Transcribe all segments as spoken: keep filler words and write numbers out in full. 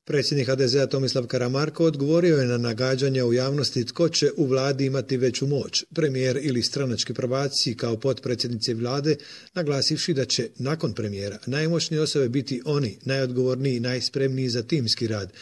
Predsjednik ha de zea Tomislav Karamarko odgovorio je na nagađanja u javnosti tko će u vladi imati veću moć, premijer ili stranački prvaci kao potpredsjednici vlade, naglasivši da će nakon premijera najmoćnije osobe biti oni, najodgovorniji i najspremniji za timski rad,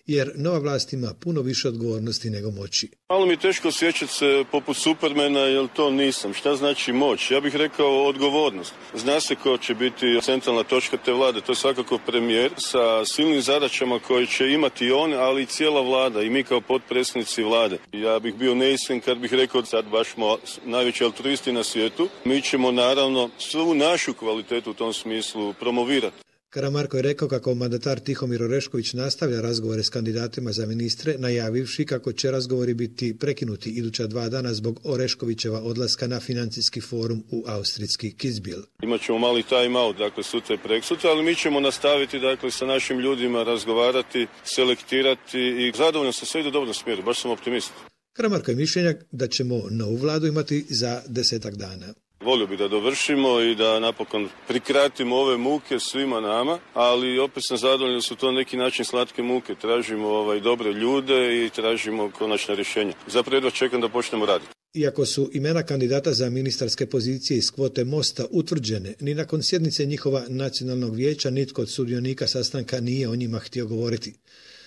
jer nova vlast ima puno više odgovornosti nego moći. Malo mi je teško osjećati se poput Supermana, jer to nisam. Šta znači moć? Ja bih rekao odgovornost. Zna se ko će biti centralna točka te vlade, to je svakako premijer sa silnim zadaćama koje će imati on, ali i cijela vlada i mi kao potpredsjednici vlade. Ja bih bio neiskren kad bih rekao sad baš smo najveći altruisti na svijetu. Mi ćemo naravno svu našu kvalitetu u tom smislu promovirati. Karamarko je rekao kako mandatar Tihomir Orešković nastavlja razgovore s kandidatima za ministre, najavivši kako će razgovori biti prekinuti iduća dva dana zbog Oreškovićeva odlaska na financijski forum u austrijski Kitzbühel. Imaćemo mali time out, dakle sutra i preksutra, ali mi ćemo nastaviti dakle sa našim ljudima razgovarati, selektirati i zadovoljno sam sve ide u dobrom smjeru, baš sam optimist. Karamarko je mišljenja da ćemo novu vladu imati za desetak dana. Volio bi da dovršimo i da napokon prikratimo ove muke svima nama, ali opet sam zadovoljan da su to neki način slatke muke. Tražimo ovaj, dobre ljude i tražimo konačna rješenja. Zapravo jedva čekam da počnemo raditi. Iako su imena kandidata za ministarske pozicije iz kvote Mosta utvrđene, ni nakon sjednice njihova nacionalnog vijeća nitko od sudionika sastanka nije o njima htio govoriti.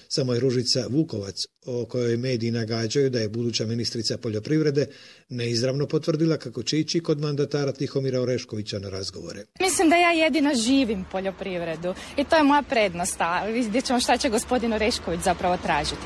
Samo je Ružica Vukovac, o kojoj mediji nagađaju da je buduća ministrica poljoprivrede, neizravno potvrdila kako će ići kod mandatara Tihomira Oreškovića na razgovore. Mislim da ja jedina živim poljoprivredu i to je moja prednost, a vidjet ćemo šta će gospodin Orešković zapravo tražiti.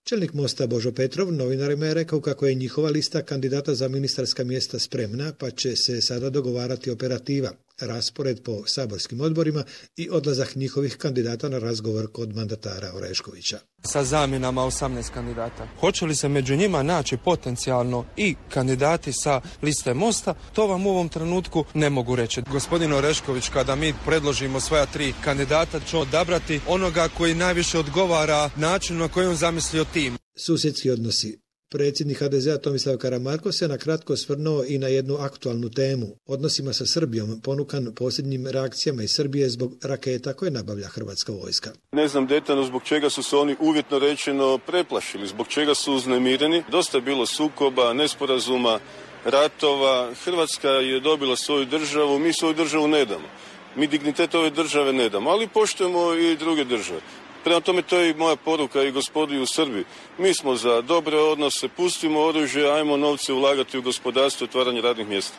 Čelnik Mosta Božo Petrov novinarima je rekao kako je njihova lista kandidata za ministarska mjesta spremna, pa će se sada dogovarati operativa, raspored po saborskim odborima i odlazak njihovih kandidata na razgovor kod mandatara Oreškovića. Sa zamjenama osamnaest kandidata. Hoće li se među njima naći potencijalno i kandidati sa liste Mosta, to vam u ovom trenutku ne mogu reći. Gospodin Orešković, kada mi predložimo svoja tri kandidata, će odabrati onoga koji najviše odgovara načinu na koji on zamislio tim. Susjedski odnosi. Predsjednik ha de zea Tomislav Karamarko se na kratko osvrnuo i na jednu aktualnu temu, odnosima sa Srbijom, ponukan posljednjim reakcijama iz Srbije zbog raketa koje nabavlja hrvatska vojska. Ne znam detaljno zbog čega su se oni uvjetno rečeno preplašili, zbog čega su uznemireni. Dosta je bilo sukoba, nesporazuma, ratova. Hrvatska je dobila svoju državu, mi svoju državu ne damo. Mi dignitet ove države ne damo, ali poštujemo i druge države. Prema tome, to je i moja poruka i gospodi u Srbiji. Mi smo za dobre odnose, pustimo oružje, ajmo novce ulagati u gospodarstvo i otvaranje radnih mjesta.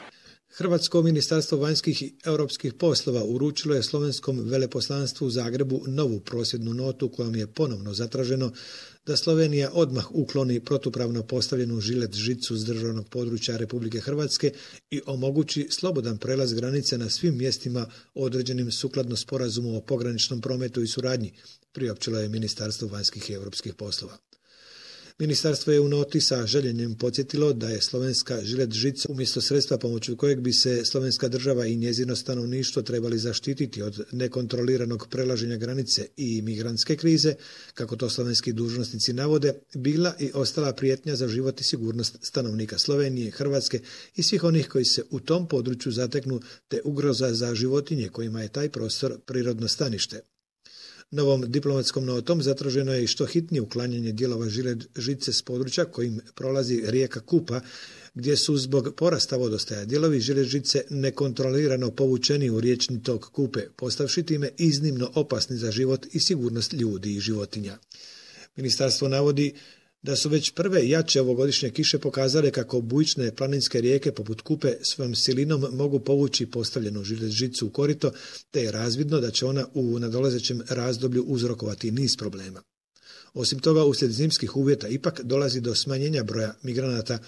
Hrvatsko ministarstvo vanjskih i europskih poslova uručilo je slovenskom veleposlanstvu u Zagrebu novu prosvjednu notu kojom je ponovno zatraženo da Slovenija odmah ukloni protupravno postavljenu žilet žicu s državnog područja Republike Hrvatske i omogući slobodan prelaz granice na svim mjestima određenim sukladno sporazumu o pograničnom prometu i suradnji, priopćilo je Ministarstvo vanjskih i europskih poslova. Ministarstvo je u noti sa željenjem podsjetilo da je slovenska žilet žica umjesto sredstva pomoću kojeg bi se slovenska država i njezino stanovništvo trebali zaštititi od nekontroliranog prelaženja granice i migrantske krize, kako to slovenski dužnosnici navode, bila i ostala prijetnja za život i sigurnost stanovnika Slovenije, Hrvatske i svih onih koji se u tom području zateknu, te ugroza za životinje kojima je taj prostor prirodno stanište. Novom diplomatskom notom zatraženo je i što hitnije uklanjanje dijelova žilet žice s područja kojim prolazi rijeka Kupa, gdje su zbog porasta vodostaja dijelovi žilet žice nekontrolirano povučeni u riječni tok Kupe, postavši time iznimno opasni za život i sigurnost ljudi i životinja. Ministarstvo navodi da su već prve jače ovogodišnje kiše pokazale kako bujične planinske rijeke poput Kupe svojom silinom mogu povući postavljenu žilet žicu u korito, te je razvidno da će ona u nadolazećem razdoblju uzrokovati niz problema. Osim toga, uslijed zimskih uvjeta ipak dolazi do smanjenja broja migranata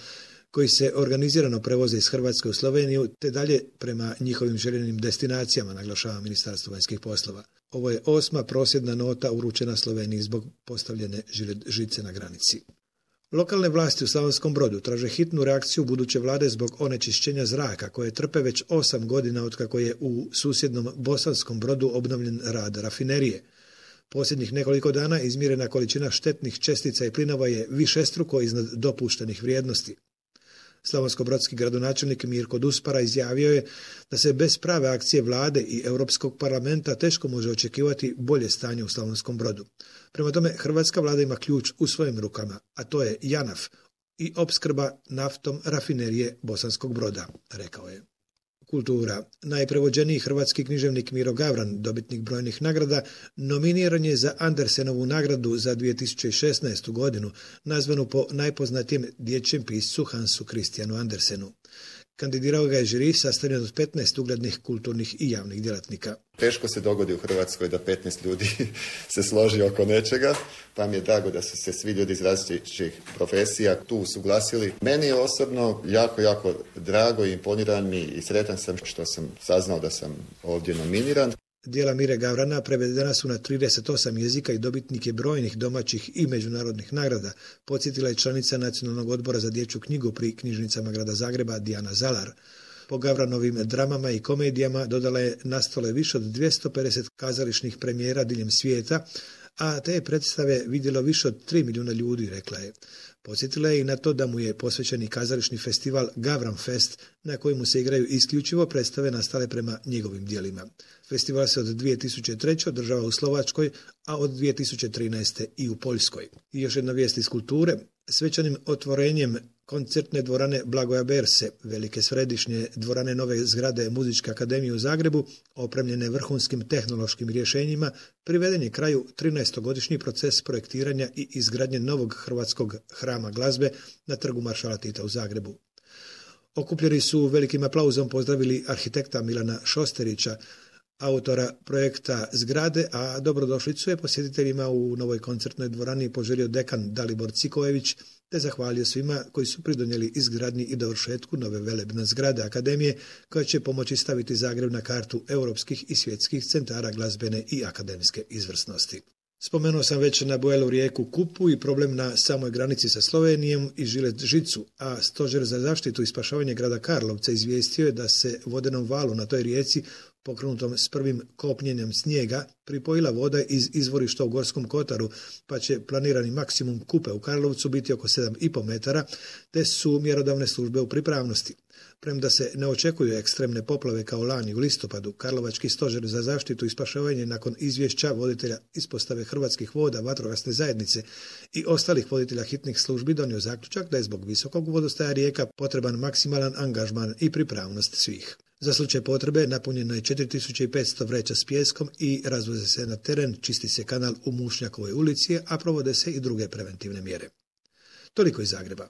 koji se organizirano prevoze iz Hrvatske u Sloveniju, te dalje prema njihovim željenim destinacijama, naglašava Ministarstvo vanjskih poslova. Ovo je osma prosvjedna nota uručena Sloveniji zbog postavljene žilet žice na granici. Lokalne vlasti u Slavonskom Brodu traže hitnu reakciju buduće vlade zbog onečišćenja zraka koje trpe već osam godina otkako je u susjednom Bosanskom Brodu obnovljen rad rafinerije. Posljednjih nekoliko dana izmjerena količina štetnih čestica i plinova je višestruko iznad dopuštenih vrijednosti. Slavonsko-brodski gradonačelnik Mirko Duspara izjavio je da se bez prave akcije vlade i Europskog parlamenta teško može očekivati bolje stanje u Slavonskom Brodu. Prema tome, hrvatska vlada ima ključ u svojim rukama, a to je JANAF i opskrba naftom rafinerije Bosanskog Broda, rekao je. Kultura. Najprevođeniji hrvatski književnik Miro Gavran, dobitnik brojnih nagrada, nominiran je za Andersenovu nagradu za dvije tisuće šesnaestu godinu, nazvanu po najpoznatijem dječjem piscu Hansu Christianu Andersenu. Kandidirao ga je žiri sastavljen od petnaest uglednih kulturnih i javnih djelatnika. Teško se dogodi u Hrvatskoj da petnaest ljudi se složi oko nečega, pa mi je drago da su se svi ljudi iz različitih profesija tu usuglasili. Meni je osobno jako, jako drago i imponiran mi i sretan sam što sam saznao da sam ovdje nominiran. Djela Mire Gavrana prevedena su na trideset osam jezika i dobitnik je brojnih domaćih i međunarodnih nagrada, podsjetila je članica Nacionalnog odbora za dječju knjigu pri knjižnicama grada Zagreba Dijana Zalar. Po Gavranovim dramama i komedijama dodala je na stole više od dvjesto pedeset kazališnih premijera diljem svijeta, a te predstave vidjelo više od tri milijuna ljudi, rekla je. Podsjetila je i na to da mu je posvećeni kazališni festival Gavran Fest, na kojemu se igraju isključivo predstave nastale prema njegovim djelima. Festival se od dvije tisuće treće održava u Slovačkoj, a od dvije tisuće trinaeste i u Poljskoj. I još jedna vijest iz kulture. Svečanim otvorenjem koncertne dvorane Blagoja Berse, velike središnje dvorane nove zgrade Muzičke akademije u Zagrebu, opremljene vrhunskim tehnološkim rješenjima, priveden je kraju trinaestogodišnji proces projektiranja i izgradnje novog hrvatskog hrama glazbe na trgu Maršala Tita u Zagrebu. Okupljeni su velikim aplauzom pozdravili arhitekta Milana Šosterića, autora projekta zgrade, a dobrodošlicu je posjetiteljima u novoj koncertnoj dvorani poželio dekan Dalibor Cikojević, te zahvalio svima koji su pridonijeli izgradnji i dovršetku nove velebne zgrade akademije, koja će pomoći staviti Zagreb na kartu europskih i svjetskih centara glazbene i akademske izvrsnosti. Spomenuo sam već na Bujelu rijeku Kupu i problem na samoj granici sa Slovenijom i Žilet Žicu, a Stožer za zaštitu i spašavanje grada Karlovca izvijestio je da se vodenom valu na toj rijeci, pokrenutom s prvim kopnjenjem snijega, pripojila voda iz izvorišta u Gorskom Kotaru, pa će planirani maksimum Kupe u Karlovcu biti oko sedam i pol metara, te su mjerodavne službe u pripravnosti. Premda se ne očekuju ekstremne poplave kao lani u listopadu, Karlovački stožer za zaštitu i spašavanje nakon izvješća voditelja ispostave Hrvatskih voda, vatrogasne zajednice i ostalih voditelja hitnih službi donio zaključak da je zbog visokog vodostaja rijeka potreban maksimalan angažman i pripravnost svih. Za slučaj potrebe napunjeno je četiri tisuće petsto vreća s pijeskom i razvoze se na teren, čisti se kanal u Mušnjakovoj ulici, a provode se i druge preventivne mjere. Toliko iz Zagreba.